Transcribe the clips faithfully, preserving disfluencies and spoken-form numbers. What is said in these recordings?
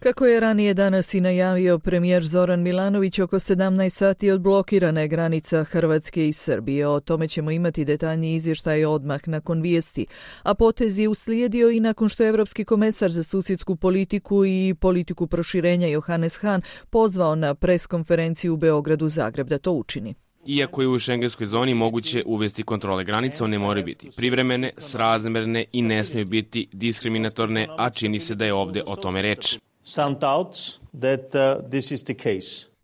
Kako je ranije danas i najavio premijer Zoran Milanović, oko sedamnaest sati odblokirana je granica Hrvatske i Srbije. O tome ćemo imati detaljniji izvještaj odmah nakon vijesti. A potez je uslijedio i nakon što je Evropski komesar za susjedsku politiku i politiku proširenja Johannes Hahn pozvao na preskonferenciju u Beogradu Zagreb da to učini. Iako je u šengenskoj zoni moguće uvesti kontrole granica, one moraju biti privremene, srazmerne i ne smiju biti diskriminatorne, a čini se da je ovdje o tome reč.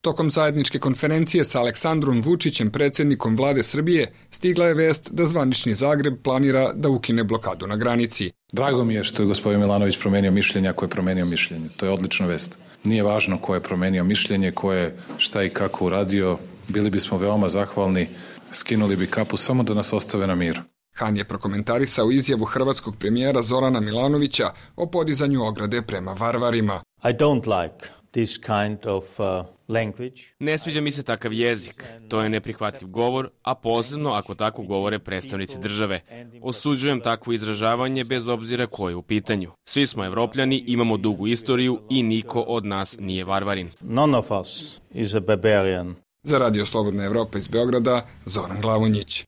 Tokom zajedničke konferencije sa Aleksandrom Vučićem, predsjednikom vlade Srbije, stigla je vest da zvanični Zagreb planira da ukine blokadu na granici. Drago mi je što je gospodin Milanović promenio mišljenje ako je promenio mišljenje. To je odlična vest. Nije važno ko je promenio mišljenje, ko je šta i kako uradio. Bili bismo veoma zahvalni, skinuli bi kapu samo da nas ostave na miru. Hahn je prokomentarisao izjavu hrvatskog premijera Zorana Milanovića o podizanju ograde prema varvarima. I don't like this kind of uh, language. Ne sviđa mi se takav jezik. To je neprihvatljiv govor, a posebno ako tako govore predstavnici države. Osuđujem takvo izražavanje bez obzira ko je u pitanju. Svi smo Evropljani, imamo dugu istoriju i niko od nas nije varvarin. None of us is a barbarian. Za Radio Slobodna Evropa iz Beograda, Zoran Glavonjić.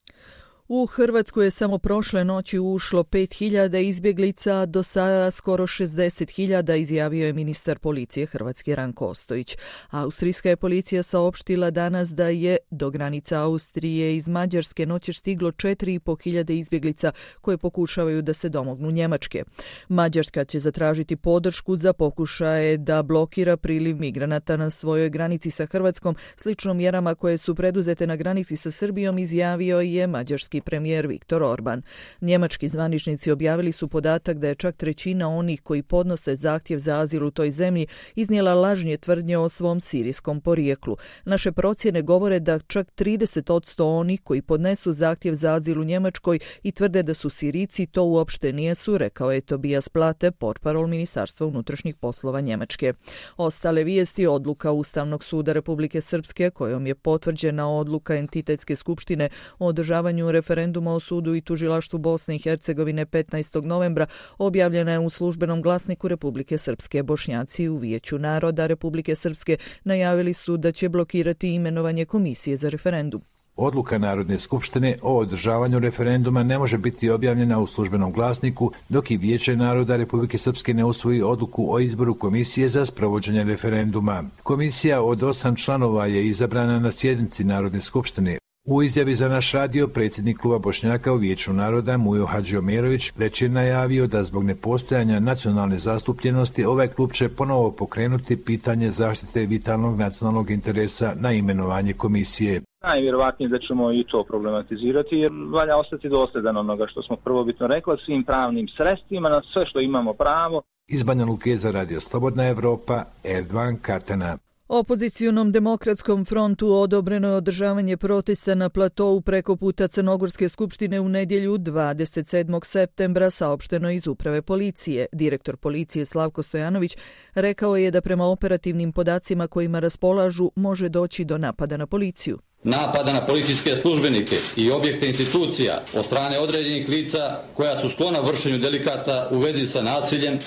U Hrvatsku je samo prošle noći ušlo pet hiljada izbjeglica, do sada skoro šezdeset hiljada, izjavio je ministar policije Hrvatske Ranko Ostojić. Austrijska je policija saopštila danas da je do granica Austrije iz Mađarske noćer stiglo četiri i po hiljade izbjeglica koje pokušavaju da se domognu Njemačke. Mađarska će zatražiti podršku za pokušaje da blokira priliv migranata na svojoj granici sa Hrvatskom, slično mjerama koje su preduzete na granici sa Srbijom, izjavio je mađarski premijer Viktor Orban. Njemački zvaničnici objavili su podatak da je čak trećina onih koji podnose zahtjev za azil u toj zemlji iznijela lažne tvrdnje o svom sirijskom porijeklu. Naše procjene govore da čak trideset posto onih koji podnesu zahtjev za azil u Njemačkoj i tvrde da su Sirijci to uopšte nijesu, rekao je Tobias Plate, portparol Ministarstva unutrašnjih poslova Njemačke. Ostale vijesti: odluka Ustavnog suda Republike Srpske kojom je potvrđena odluka entitetske skupštine o održavanju referenduma o sudu i tužilaštvu Bosne i Hercegovine petnaestog novembra objavljena je u službenom glasniku Republike Srpske. Bošnjaci u Vijeću naroda Republike Srpske najavili su da će blokirati imenovanje komisije za referendum. Odluka Narodne skupštine o održavanju referenduma ne može biti objavljena u službenom glasniku dok i Vijeće naroda Republike Srpske ne usvoji odluku o izboru komisije za sprovođenje referenduma. Komisija od osam članova je izabrana na sjednici Narodne skupštine. U izjavi za naš radio predsjednik kluba Bošnjaka u Vijeću naroda Mujo Hadžiomerović već je najavio da zbog nepostojanja nacionalne zastupljenosti ovaj klub će ponovo pokrenuti pitanje zaštite vitalnog nacionalnog interesa na imenovanje komisije. Najvjerovatnije da ćemo i to problematizirati jer valja ostati dosljedan onoga što smo prvobitno rekli, svim pravnim sredstvima, na sve što imamo pravo. Iz Banja Luke za Radio Slobodna Evropa, Erdogan Katana. Opozicionom demokratskom frontu odobreno je održavanje protesta na platovu preko puta Crnogorske skupštine u nedjelju dvadeset sedmog septembra, saopšteno iz uprave policije. Direktor policije Slavko Stojanović rekao je da prema operativnim podacima kojima raspolažu može doći do napada na policiju. Napada na policijske službenike i objekte institucija od strane određenih lica koja su sklona vršenju delikata u vezi sa nasiljem,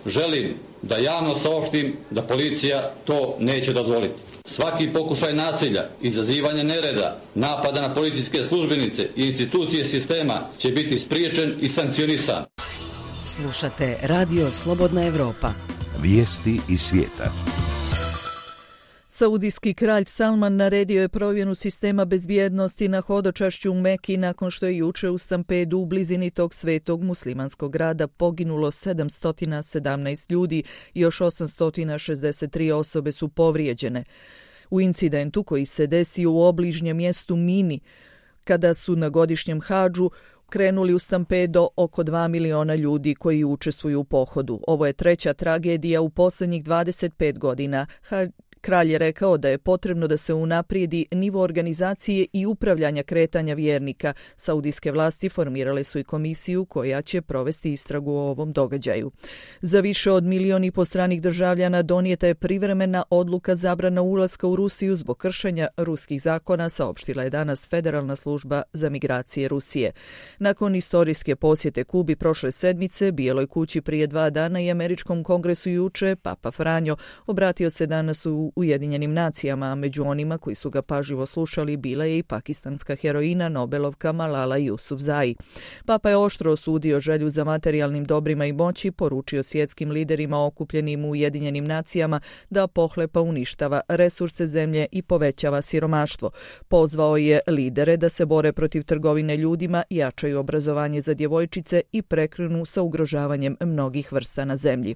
želim da javno saopštim da policija to neće dozvoliti. Svaki pokušaj nasilja, izazivanje nereda, napada na policijske službenice i institucije sistema će biti spriječen i sankcionisan. Slušate Radio Slobodna Evropa. Vijesti iz svijeta. Saudijski kralj Salman naredio je provjeru sistema bezbjednosti na hodočašću u Meki nakon što je juče u stampedu u blizini tog svetog muslimanskog grada poginulo sedamsto sedamnaest ljudi i još osamsto šezdeset tri osobe su povrijeđene. U incidentu koji se desio u obližnjem mjestu Mini, kada su na godišnjem hadžu krenuli u stampedo oko dva miliona ljudi koji učestvuju u pohodu. Ovo je treća tragedija u posljednjih dvadeset pet godina. Kralj je rekao da je potrebno da se unaprijedi nivo organizacije i upravljanja kretanja vjernika. Saudijske vlasti formirale su i komisiju koja će provesti istragu o ovom događaju. Za više od milion i po stranih državljana donijeta je privremena odluka zabrana ulaska u Rusiju zbog kršenja ruskih zakona, saopštila je danas Federalna služba za migracije Rusije. Nakon istorijske posjete Kubi prošle sedmice, Bijeloj kući prije dva dana i Američkom kongresu juče, Papa Franjo obratio se danas u Ujedinjenim nacijama, a među onima koji su ga pažljivo slušali bila je i pakistanska heroina Nobelovka Malala Yousafzai. Papa je oštro osudio želju za materijalnim dobrima i moći, poručio svjetskim liderima okupljenim u Ujedinjenim nacijama da pohlepa uništava resurse zemlje i povećava siromaštvo. Pozvao je lidere da se bore protiv trgovine ljudima, jačaju obrazovanje za djevojčice i prekrenu sa ugrožavanjem mnogih vrsta na zemlji.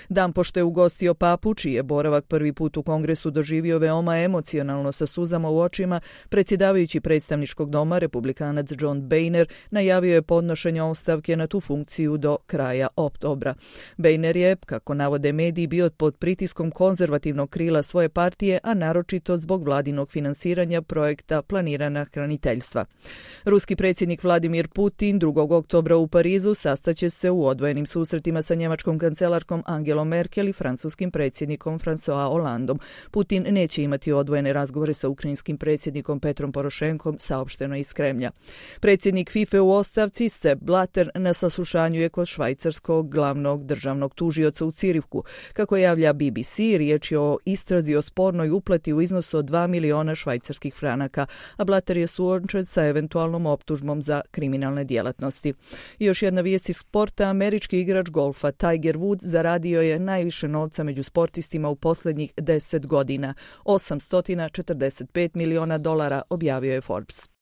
Dan pošto je ugostio papu, čiji je boravak prvi put u kongresu doživio veoma emocionalno sa suzama u očima, predsjedavajući predstavničkog doma, republikanac John Boehner, najavio je podnošenje ostavke na tu funkciju do kraja oktobra. Boehner je, kako navode mediji, bio pod pritiskom konzervativnog krila svoje partije, a naročito zbog vladinog finansiranja projekta planirana hraniteljstva. Ruski predsjednik Vladimir Putin drugog oktobra u Parizu sastaće se u odvojenim susretima sa njemačkom kancelarkom Angelom Merkel i francuskim predsjednikom François Hollandom. Putin neće imati odvojene razgovore sa ukrajinskim predsjednikom Petrom Porošenkom, saopšteno iz Kremlja. Predsjednik FIFA u ostavci Sepp Blatter na saslušanju je kod švajcarskog glavnog državnog tužioca u Cirihu. Kako javlja B B C, riječ je o istrazi o spornoj uplati u iznosu od dva miliona švajcarskih franaka, a Blatter je suočen sa eventualnom optužbom za kriminalne djelatnosti. I još jedna vijest iz sporta, američki igrač golfa Tiger Woods zaradio je najviše novca među sportistima u posljednjih deset godina, osamsto četrdeset pet miliona dolara, objavio je Forbes.